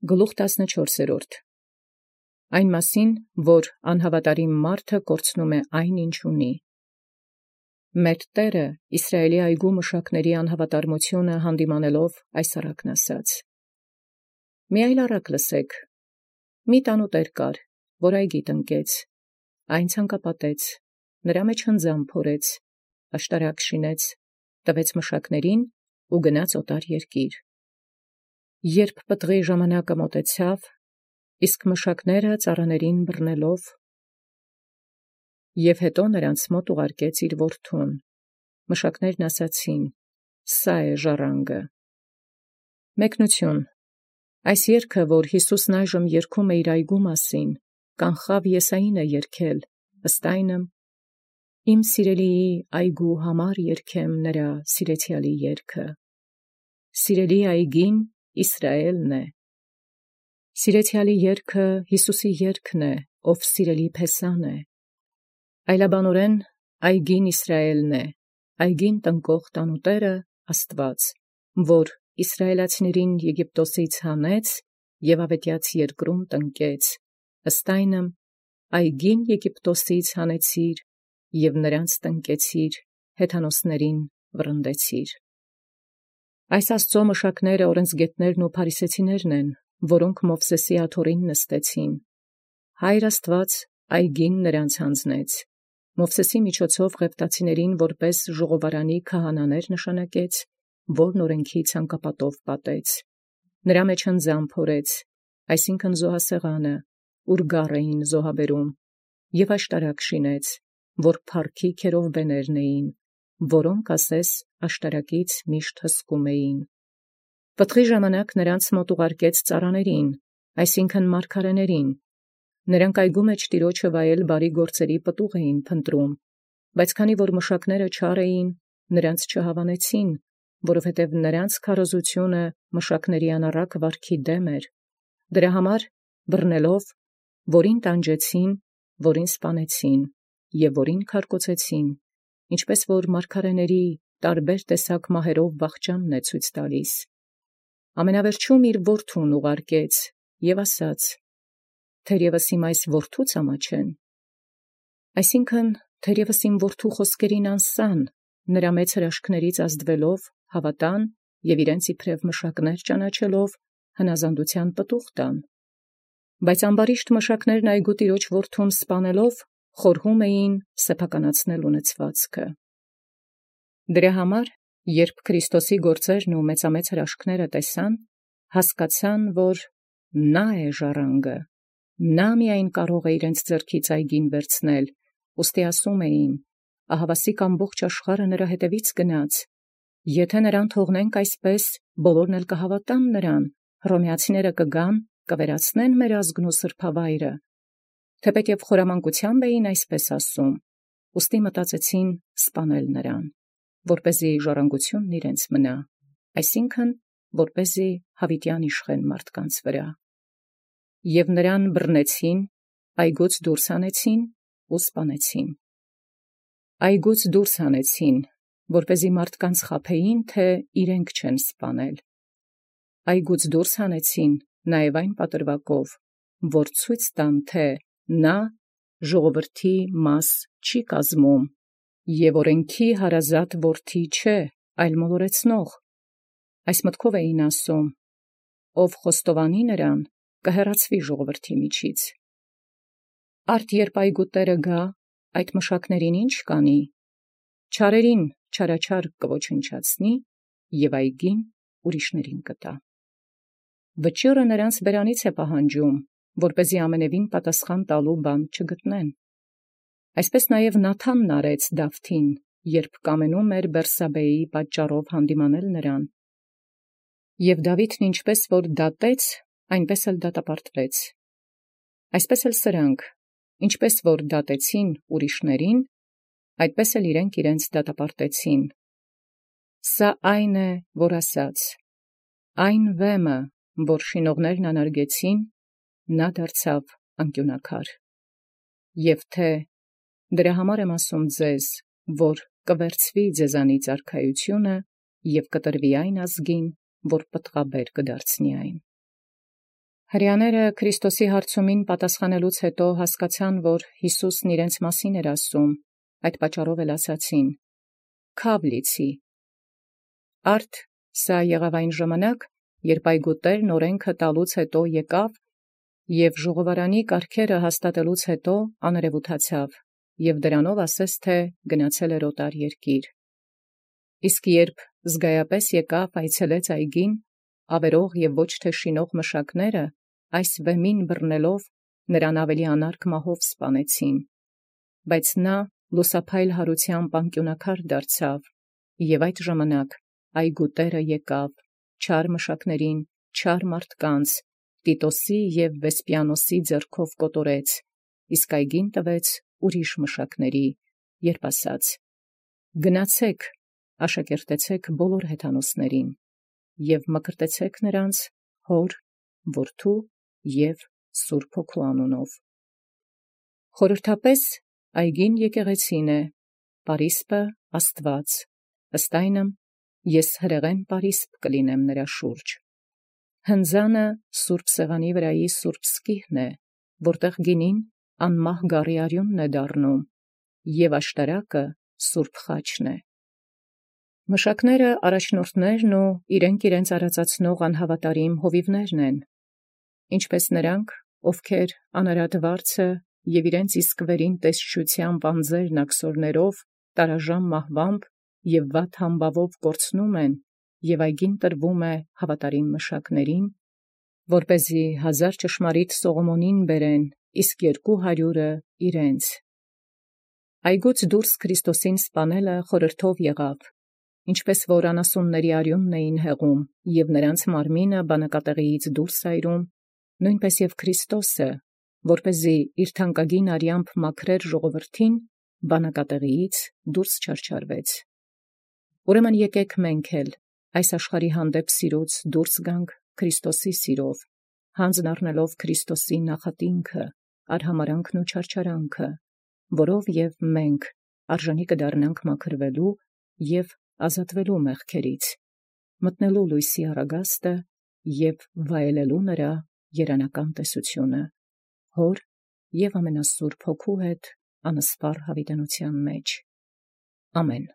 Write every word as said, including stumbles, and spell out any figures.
Գլուխ տասնչորսերորդ. Այն մասին, որ անհավատարիմ մարդը կորցնում է այն, ինչ ունի։ Մեր Տէրը Իսրայէլի այգու մշակների անհավատարմությունը հանդիմանելով այս առակն ասաց. «Մի այլ առակ լսեք. մի տանուտեր կար, որ այգի տնկեց, այն ցանկապատեց, նրա մեջ հնձան փորեց, աշտարակ շինեց, տվեց մշակներին ու գնաց օտար երկիր։ Երբ պտղի ժամանակը մոտեցավ, իսկ մշակները ծառաներին բռնելով, և հետո նրանց մոտ ուղարկեց իր որդուն, մշակներն ասացին. «Սա է ժառանգը»։ Մեկնություն. Այս երգը, որ Յիսուսն այժմ երգում է իր այգու մասին, կանխաւ Եսային է երգել, ըստ այնմ. «Իմ սիրելիի այգու համար երգեմ նրա սիրեցյալի երգը»։ Սիրելի այգին Իսրայէլն է։ Սիրեցյալի երգը Յիսուսի երգն է, ով սիրելի փեսան է։ Այլաբանորեն այգին Իսրայէլն է, այգին տնկող տանուտերը Աստուած, որ իսրայելացիներին Եգիպտոսից հանեց և աւետեաց երկրում տնկեց, ըստ այնմ այգին Եգիպտոսից հանեցիր և նրանց տնկեցիր, հեթանոսներին վռնդեցիր։ Այս Աստուծոյ մշակները օրենսգետներն ու փարիսեցիներն են, որոնք Մովսէսի աթոռին նստեցին։ Հայր Աստուած այգին նրանց յանձնեց, Մովսէսի միջոցով Ղևտացիներին որպէս ժողովարանի քահանաներ նշանակեց, որն օրենքի ցանկապատով պատեց։ Նրա մեջ հնձան փորեց, այսինքն զոհասեղանը, ուր գառ էին զոհաբերում, և աշտարակ շինեց, որ փառքի քերովբեներն էին, որոնք ասես աշտարակից միշտ հսկում էին։ Պտղի ժամանակ նրանց մոտ ուղարկեց ծառաներին, այսինքն մարգարեներին։ Նրանք այգու մեջ Տիրոջը վայել բարի գործերի պտուղ էին փնտրում, բայց քանի որ մշակները չար էին, նրանց չհավանեցին, որովհետև նրանց քարոզությունը մշակների անառակ վարքի դեմ էր։ Դրա համար բռնելով, որին տանջեցին, որին սպանեցին և որին քարկոծեցին, ինչպես որ մարգարեների տարբեր տեսակ մահերով վախճանն է ցույց տալիս։ Ամենավերջում իր որդուն ուղարկեց և ասաց. «Թերևս իմ այս որդուց ամաչեն»։ Այսինքն, թերևս իմ որդու խոսքերին անսան, նրա մեծ հրաշքներից ազդվելով հավատան և իրենց իբրև մշակներ ճանաչելով հնազանդության պտուղ տան։ Բայց ամբարիշտ մշակներն այգու տիրոջ որդուն սպանելով խորհում էին սեփականացնել ունեցվածքը։ Դրա համար, երբ Քրիստոսի գործերն ու մեծամեծ հրաշքները տեսան, հասկացան, որ նա է ժառանգը, նա միայն կարող է իրենց ձեռքից այգին վերցնել, ուստի ասում էին. «Ահավասիկ ամբողջ աշխարհը նրա հետևից գնաց, եթե նրան թողնենք այսպես, բոլորն էլ կհավատան նրան, հռոմեացիները կգան, կվերացնեն մեր ազգն ու սրբավայրը»։ Թեպետև խորամանկությամբ էին այսպես ասում, ուստի մտածեցին սպանել նրան, որպեսզի ժառանգությունն իրենց մնա, այսինքն, որպեսզի հավիտյան իշխեն մարդկանց վրա։ Եւ նրան բռնեցին, այգուց դուրս հանեցին ու սպանեցին։ Այգուց դուրս հանեցին, որպեսզի մարդկանց խաբեին, թե իրենք չեն սպանել։ Այգուց դուրս հանեցին նաև այն պատրվակով, որ ցույց տան, թե նա ժողովրդի մաս չի կազմում և օրենքի հարազատ որդի չէ, այլ մոլորեցնող։ Այս մտքով էին ասում. «Ով խոստովանի նրան, կհեռացվի ժողովրդի միջից»։ Արդ երբ այգու տերը գա, այդ մշակներին ի՞նչ կանի։ Չարերին չարաչար կոչնչացնի և այգին ուրիշներին կտա։ Վճիռը նրանց բերանից է պահանջում, որպեսզի ամենևին պատասխան տալու բան չգտնեն։ Այսպես նաև Նաթանն արեց Դավթին, երբ կամենում էր Բերսաբեի պատճառով հանդիմանել նրան։ Եվ Դավիթն ինչպես որ դատեց, այնպես էլ դատապարտվեց։ Այսպես էլ սրանք, ինչպես որ դատեցին ուրիշներին, այդպես էլ իրենք իրենց դատապարտեցին։ Սա այն է, որ ասաց. «Այն վեմը, որ շինողներն անարգեցին, նա դարձավ անկիւնակար»։ Եվ թե. «Դրա համար եմ ասում ձեզ, որ կվերցվի ձեզանից արքայությունը և կտրվի այն ազգին, որ պտղաբեր կդարձնի այն»։ Հրեաները Քրիստոսի հարցումին պատասխանելուց հետո հասկացան, որ Յիսուսն իրենց մասին էր ասում, այդ պատճառով էլ ասացին. «Քավ լիցի»։ Արդ սա եղավ այն ժամանակ, երբ այգուտերն օրենքը տալուց հետո եկավ և ժողովարանի կարգերը հաստատելուց հետո աներևութացավ և դրանով ասես թե գնացել էր օտար երկիր։ Իսկ երբ զգայապես եկավ այցելեց այգին, ավերող և ոչ թե շինող մշակները այս վեմին բռնելով նրան ավելի անարգ մահով սպանեցին, բայց նա լուսափայլ հարությամբ անկյունաքար դարձավ, և այդ ժամանակ այգու տերը եկավ, չար մշակներին, չար մարդկանց, Տիտոսի և Վեսպիանոսի ձեռքով կոտորեց, իսկ այգին տվեց ուրիշ մշակների, երբ ասաց. «Գնացեք, աշակերտեցեք բոլոր հեթանոսներին և մկրտեցեք նրանց Հոր, Որդու և Սուրբ Հոգու անունով»։ Խորհրդապես այգին եկեղեցին է, պարիսպը Աստված, ըստ այնմ ես հրեղեն պարիսպ կլինեմ նրա շուրջ։ Հնձանը սուրբ սեղանի վրայի սուրբ սկիհն է, որտեղ գինին անմահ գառի արյունն է դառնում, և աշտարակը սուրբ խաչն է։ Մշակները առաջնորդներն ու իրենք իրենց արածացնող անհավատարիմ հովիվներն են, ինչպես նրանք, ովքեր անարատ վարձը և իրենց իսկ վերին տեսչությամբ անձերն աքսորներով, տարաժամ մահվամբ և վատ համբավով կորցնում են, և այգին տրվում է հավատարիմ մշակներին, որպեսզի հազար ճշմարիտ Սողոմոնին բերեն, իսկ երկու հարյուրը իրենց։ Այգուց դուրս Քրիստոսին սպանելը խորհրդով եղավ, ինչպես որ անասունների արյունն էին հեղում և նրանց մարմինը բանակատեղիից դուրս այրում, նույնպես և Քրիստոսը, որպեսզի իր թանկագին արյամբ մաքրեր ժողովրդին, բանակատեղիից դուրս չարչարվեց։ Ուրեմն եկեք մենք էլ այս աշխարհի հանդեպ սիրուց դուրս գանք Քրիստոսի սիրով, հանձն առնելով Քրիստոսի նախատինքը, արհամարանքն ու չարչարանքը, որով և մենք արժանի կդառնանք մաքրվելու և ազատվելու մեղքերից, մտնելու լույսի առագաստը և վայելելու նրա երանական տեսությունը, Հոր և ամենասուրբ Հոգու հետ անսպառ հավիտենության մեջ։ Ամեն։